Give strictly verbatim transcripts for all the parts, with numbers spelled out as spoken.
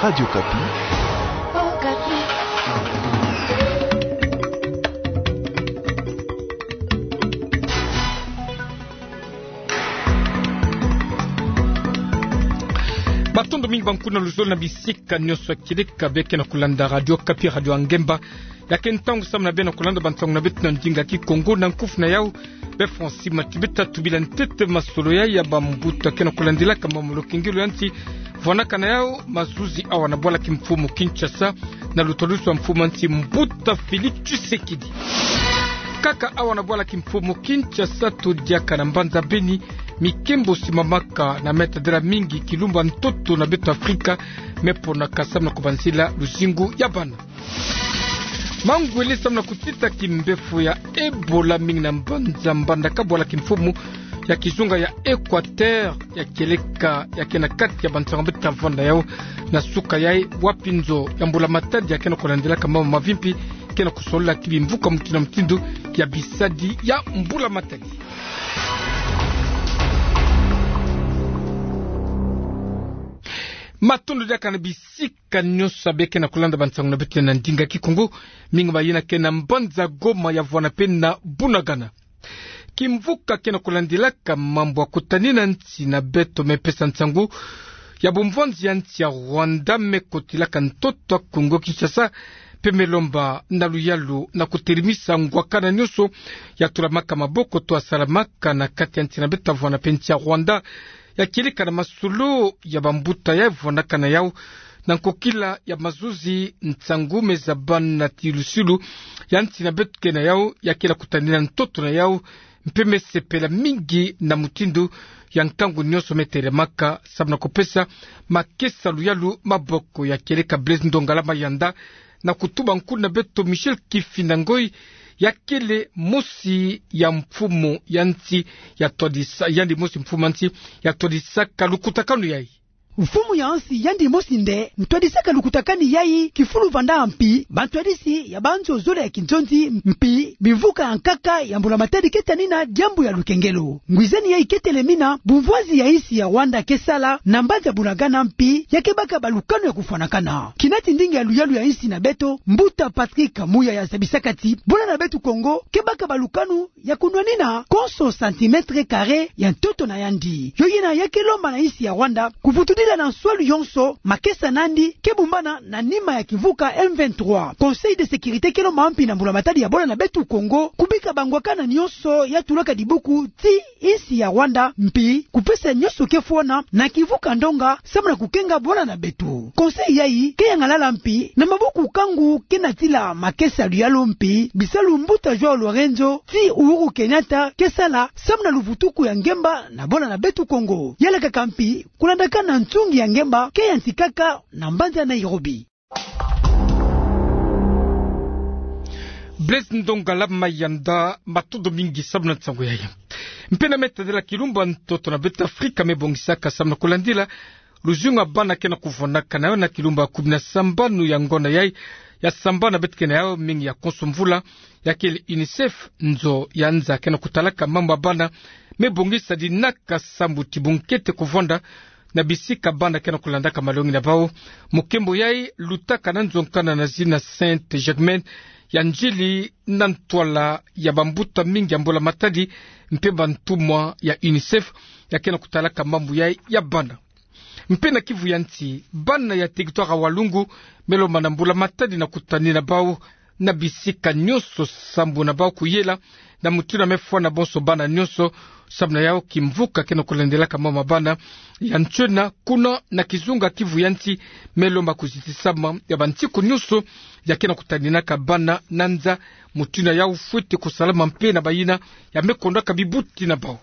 Radio Okapi. Matondo mingi bankufi na luzolo na bisika nyonso ya kieleka bie ke na kulanda Radio Okapi, radio ya ngemba. Ya ke ntangu samu na bie na kulanda bansangu na beto na ndinga Kikongo, na nkufi na yau, be Francis Matibeta tubila ntete masolo yai ya bambuta ke na kulandilaka mambu ya lukengelo ya nsi. Vwanakana yau mazuzi awa na bwala kimfumu Kinshasa, na lutwadusu ya mfumu ya nsi mbuta Félix Tshisekedi. Kaka awa na bwala kimfumu Kinshasa, todiaka na mbanza Beni, mikembo simamaka na me tadila mingi kilumbu ya ntoto na beto Afrika me ponaka samu na kubanzila luzingu ya bana. Mangwele samu na kutita kimbefo ya Ebola mingi na mbanza Mbandaka, bwala kimfumu ya kizunga ya Équateur ya kieleka, ya ke na kati ya bansangu beto ta vwanda yau na suka yai, wapi nzo ya mbula matadi ya ke na kulandilaka mambu mavimpi ke na kusolola ti bimvuka mutindu na mutindu ya bisadi ya mbula matadi. Matondo diaka na bisika nyonso bie ke na kulanda bansangu na beto na ndinga Kikongo, mingi mayina ke na mbanza Goma ya vwanda mpe na Bunagana. Kimvuka ke na kulandilaka mambu ya kutanina nsi na beto me pesa nsangu ya bumvwanzi ya nsi ya Rwanda me kotilaka ntoto ya Kongo Kinshasa, mpe me lomba na luyalu na kutelemisa ngwakana nyonso ya tulamaka maboko to ya salamaka na kati ya nsi na beto ta vwanda mpe nsi ya Rwanda, ya kieleka na masolo ya bambuta ya vwanakana yau na nkokila ya mazuzi nsangu me zabana ti lusilu ya nsi na beto ke na yau, ya ke na kutanina ntoto na yau, mpe me sepela mingi na mutindu ya nkangu nyonso me telemaka samu na kupesa makesa luyalu maboko. Ya kieleka Blaise Ndongala Mayanda na kutuba nkuna beto Michel Kifindangoi, ya kele mosi ya mfumu ya nsi ya twadisa, yandi mosi mfumu ya nsi ya twadisaka lukutakanu yai. Mfumu ya nsi yandi mosi nde ntwadisaka lukutakanu yai kifulu vanda mpi bantwadisi ya banzo zole ya kinzonzi mpi bimvuka ya nkaka ya mbula matadi ke tanina diambu ya lukengelo. Ngwizani yai ke telemina bumvwanzi ya nsi ya Rwanda ke sala na mbanza Bunagana mpi ya ke baka balukanu ya kufwanakana. Kina ti ndinga ya luyalu ya nsi na beto, mbuta Patrick Muyaya zabisaka ti bwala na beto Kongo ke baka balukanu ya kunwanina konso centimètre carré ya ntoto na yandi. Yo yina ya ke lomba na nsi ya Rwanda kuvutudila na nswalu yonso makesa na yandi ke bumbana na nima ya kimvuka M vingt-trois. Conseil de sécurité ke lomba mpi na mbula matadi ya bwala na beto Kongo kubika bangwakana nyonso ya tulaka dibuku ti nsi ya Rwanda mpi kupesa nyonso ke fwana na kimvuka ndonga samu na kukenga bwala na beto. Conseil yai ke yangalala mpi na maboko nkangu ke natila makesa luyalu mpi bisalu mbuta João Lourenço ti Uhuru Kenyatta ke sala samu na luvutuku ya ngemba na bwala na beto Kongo. Yalakaka mpi kulandakana nsungi ya ngemba ke yantikaka na mbanza Nairobi. Blaise Ndongala Mayanda, matondo mingi samu na nsangu yai. Mpe na me tadila kilumbu ya ntoto na beto Afrika me bongisaka samu na kulandila luzingu ya bana ke na kuvwanakana yau na kilumbu ya kumi na sambanu ya ngonda yai ya sambanu na beto ke na yau mingi ya konso mvula, ya kele UNICEF, nzo ya nza ke na kutalaka mambu ya bana, me bongisa dinaka sambu ti bunkete kuvwanda na bisika bana ke na kulandaka malongi na bau. Mukembo yai lutaka na nzo nkana na zina Sainte-Germaine ya Ndjili na ntwala ya bambuta mingi ya mbula matadi mpe bantumwa ya UNICEF ya ke na kutalaka mambu yai ya bana. Mpe na kivu ya nsi, bana ya territoire ya Walungu me lomba na mbula matadi na kutanina bau na bisika nyonso sambu na bau kuyela na mutindu ya me fwana bonso bana nyonso, samu na yau kimvuka ke na kulandilaka mambu ya bana ya ntiona kuna na kizunga kivu ya nsi me lomba kuzitisama ya bansiku nyonso ya ke na kutaninaka bana na nza, mutindu ya yau fwete kusalama mpe na bayina ya me kondaka bibuti na bau.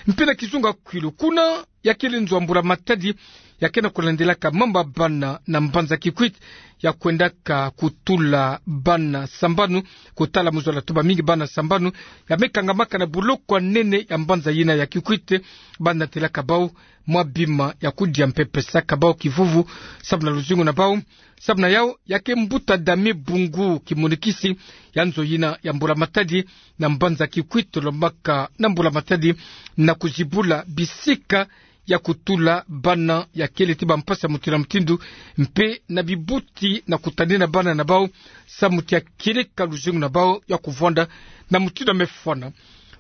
Mpe na kizunga Kwilu, kuna ya kele nzo ya mbula matadi ya ke na kulandilaka mambu ya bana na mbanza Kikwit, ya kwendaka kutula bana sambanu, kutala mu zola ti bamingi bana sambanu ya me kangamaka na boloko ya nene ya mbanza yina ya Kikwit, bana telaka bau mwa bima ya kudia mpe pesaka bau kivuvu samu na luzingu na bau. Samu na yau, ya ke mbuta Damien Bungu, kimonikisi ya nzo yina ya mbula matadi na mbanza Kikwit, lombaka na mbula matadi na kuzibula bisika ya kutula bana ya kele ti bampasi ya mutindu na mutindu, mpe na bibuti na kutanina bana na bau, samu ti ya kieleka luzingu na bau ya kuvwanda na mutindu ya mefwana.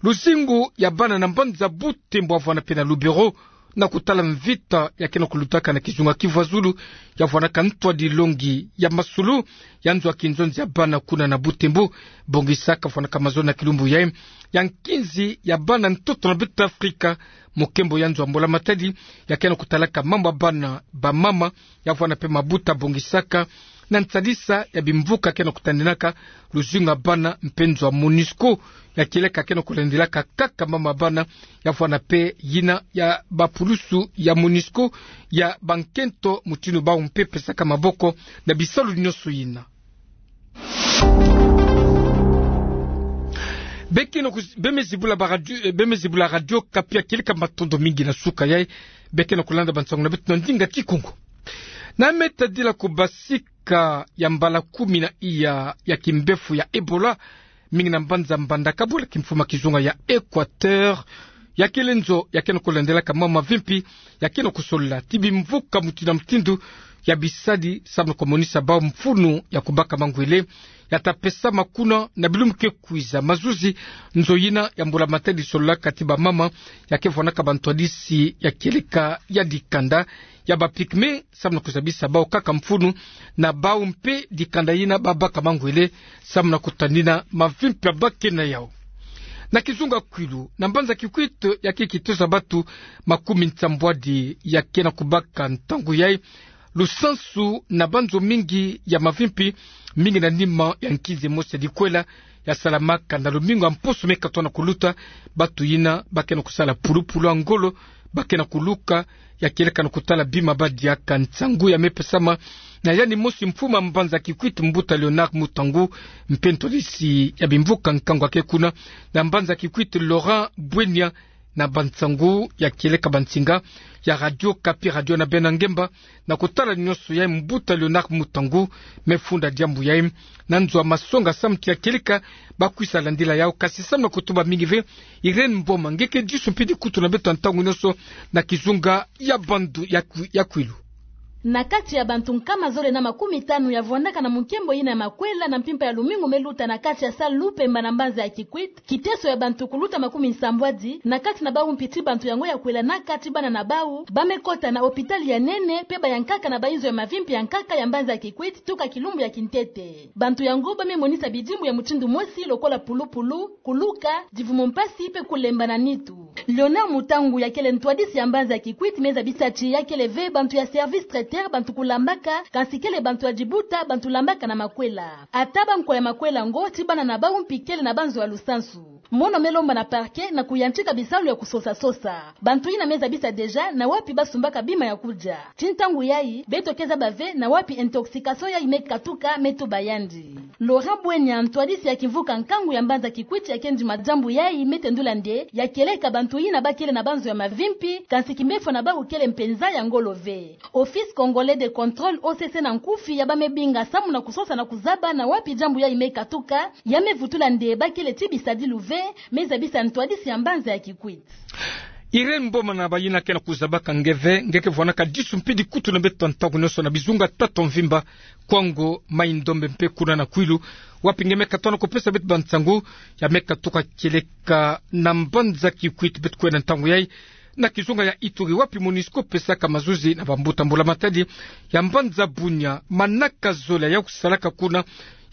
Luzingu ya bana na mbanza Butembo avwana mpe na Lubero, na kutala mvita ya ke na kulutaka na kizunga Kivu ya Zulu, ya vwanaka ntwadi longi ya masulu ya nzo ya kinzonzi ya bana kuna na Butembo. Bongisaka vwanaka mazono na kilumbu yayi ya nkinzi ya bana ntoto na Bêta Afrika, mokembo ya nzo ya mbula matadi ya ke na kutalaka mambu ya bana, bamama, ya vwana mpe mabuta bongisaka na nsadisa ya bimvuka ke na kutaninaka luzingu ya bana mpe nzo ya MONUSCO, ya kieleka ke na kulandelaka kaka mambu ya bana, ya vwana mpe yina ya bapulusu ya MONUSCO ya bankento mutindu bau mpe pesaka maboko na bisalu nyonso yina. Be ke na kus-, be me zibula ba radio, eh, be me zibula Radio Okapi, ya kieleka matondo mingi na suka yayi be ke na kulanda bansangu na beto na ndinga Kikongo. Na me tadila kubasika ya mbala kumi na iya ya kimbefu ya Ebola, mingi na mbanza Mbandaka bula kimfuma kizunga ya Equateur, ya kele nzo ya ke na kulandelaka mambu mavimpi ya ke na kusolola ti bimvuka mutindu na mutindu ya bisadi samu na kumonisa bau mfunu ya kubaka mangwele, ya ta pesama kuna na bilumbu ke kwiza. Mazuzi, nzo yina ya mbula matadi isololaka ti bamama ya ke vwanaka bantwadisi ya kieleka ya dikanda ya ba pygmées, samu na kuzabisa bau kaka mfunu na bau mpe dikanda yina ba baka mangwele, samu na kutanina mavimpi ya ba ke na yau. Na kizunga Kwilu, na mbanza Kikwit, ya ke kiteso ya bantu makumi nsambwadi ya ke na kubaka ntangu yayi lusansu na banzo mingi ya mavimpi, mingi na nima ya nkinzi mosi ya likwela ya salamaka na lumingu ya mposo me katwa na kuluta. Bantu yina ba ke na kusala pulupulu ya ngolo, ba ke na kuluka, ya kieleka na kutala bima ba diaka. Nsangu ya me pesama na yandi mosi mfumu ya mbanza Kikwit, mbuta Léonard Mutangu, mpe ntwadisi ya bimvuka nkangu ya ke kuna na mbanza Kikwit, Laurent Bwenya, na bansangu ya kieleka bansinga ya Radio Okapi, Radio na bena ngemba. Na kutala nyonso yayi, mbuta Léonard Mutangu me funda diambu yayi na nzo ya masonga samu ti ya kieleka ba kwisa landila yau. Kasi samu na kutuba mingi ve, Irène Mboma, nge ke disu mpe dikutu na beto ntangu nyonso na kizunga ya bandu ya Kwi-, ya Kwilu. Na kati ya bantu nkama zole na makumi tanu ya vwandaka na munkembo yina ya makwela na mpimpa ya lumingu me luta na kati ya salle Lupemba na mbanza ya Kikwit, kiteso ya bantu kuluta makumi nsambwadi, na kati na bau mpe ti bantu yango ya kwela na kati bana na bau, ba me kota na hôpital ya nene mpe ba yankaka na bainzo ya mavimpi ya nkaka ya mbanza ya Kikwit tuka kilumbu ya kintete. Bantu yango ba me monisa bidimbu ya mutindu mosi lokola pulupulu, kuluka, divumu mpasi mpe kulemba na nitu. Léonard Mutangu, ya kele ntwadisi ya mbanza ya Kikwit, me zabisa ti ya kele ve bantu ya service traiteur bantu kulambaka, kansi kele bantu ya dibuta bantu lambaka na makwela. Ata bankwa ya makwela yango, ti bana na bau mpe kele na banzo ya lusansu. Mono me lomba na parquet na kuyantika bisalu ya kusosa-sosa bantu yina me zabisa déjà na wapi ba sumbaka bima ya kudia. Ti ntangu yayi, beto ke zaba ve na wapi intoxication yayi me katuka, me tuba yandi. Laurent Bwenya, ntwadisi ya kimvuka nkangu ya mbanza Kikwit, ya ke ndima diambu yayi, me tendula nde ya kieleka bantu yina ba kele na banzo ya mavimpi, kansi kimbefo na bau kele mpenza ya ngolo ve. Office Congolais de Contrôle, O C C na nkufi, ya ba me binga samu na kusosa na kuzaba na wapi diambu yayi me katuka, ya me vutula nde ba kele ti bisadilu ve, me zabisa ntwadisi ya mbanza ya Kikwit. Irène Mboma, na bayina ke na kuzabaka nge ve, nge ke vwanaka disu mpe dikutu na beto ntangu nyonso na bizunga tata mvimba, Kwango, Maï-Ndombe mpe kuna na Kwilu, wapi nge me katwa na kupesa beto bansangu ya me katuka kieleka na mbanza Kikwit. Beto kwenda ntangu yayi na kizunga ya Ituri, wapi MONUSCO pesaka mazuzi na bambuta mbula matadi ya mbanza Bunia. Manaka zole ya kusalaka kuna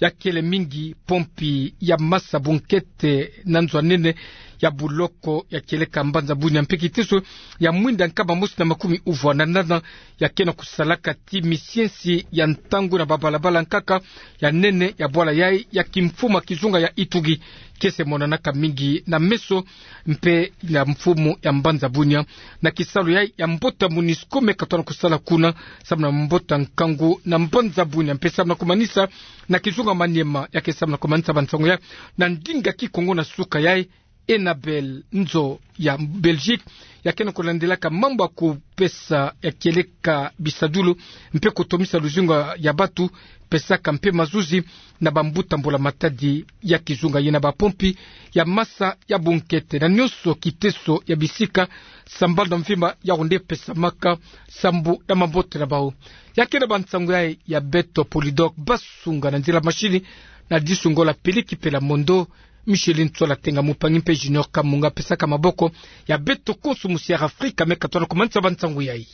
ya kele mingi pompi ya masa bunkete na nzo ya nene ya buloko ya kieleka mbanza Bunia, mpe kiteso ya mwinda nkama mosi na makumi uvwa na nana ya ke na kusalaka ti misiensi ya ntangu na babalabala nkaka ya nene ya bwala yayi ya kimfumu ya kizunga ya Ituri. Kiese monanaka mingi na meso mpe na mfumu ya mbanza Bunia na kisalu yayi ya mbote MONUSCO me katwa na kusala kuna, samu na mbota nkangu na mbanza Bunia, mpe samu na kumanisa na kizunga Maniema, ya ke samu na kumanisa bansangu yayi na ndinga Kikongo na suka yayi. Enabel Nzo ya Belgique, ya kena kulandelaka mambu ya kupesa ya kieleka bisadulu mpe kutomisa luzingu ya batu, pesaka mpe mazuzi na bambuta mbula matadi ya kizunga ye na bapompi ya masa ya bunkete na nionso kiteso ya bisika sambala na mvimba, yako nde pesamaka sambu na mambote na bau. Ya kena ba nsangu yayi ya beto Polydor Basunga, na nzila machine na disungola Peliki Pela Mondo, Micheline Tsola Tenga Mupangi mpe Junior Kamunga pesaka maboko ya beto konso musiara Afrika me katona kumanisa ba nsangu yayi.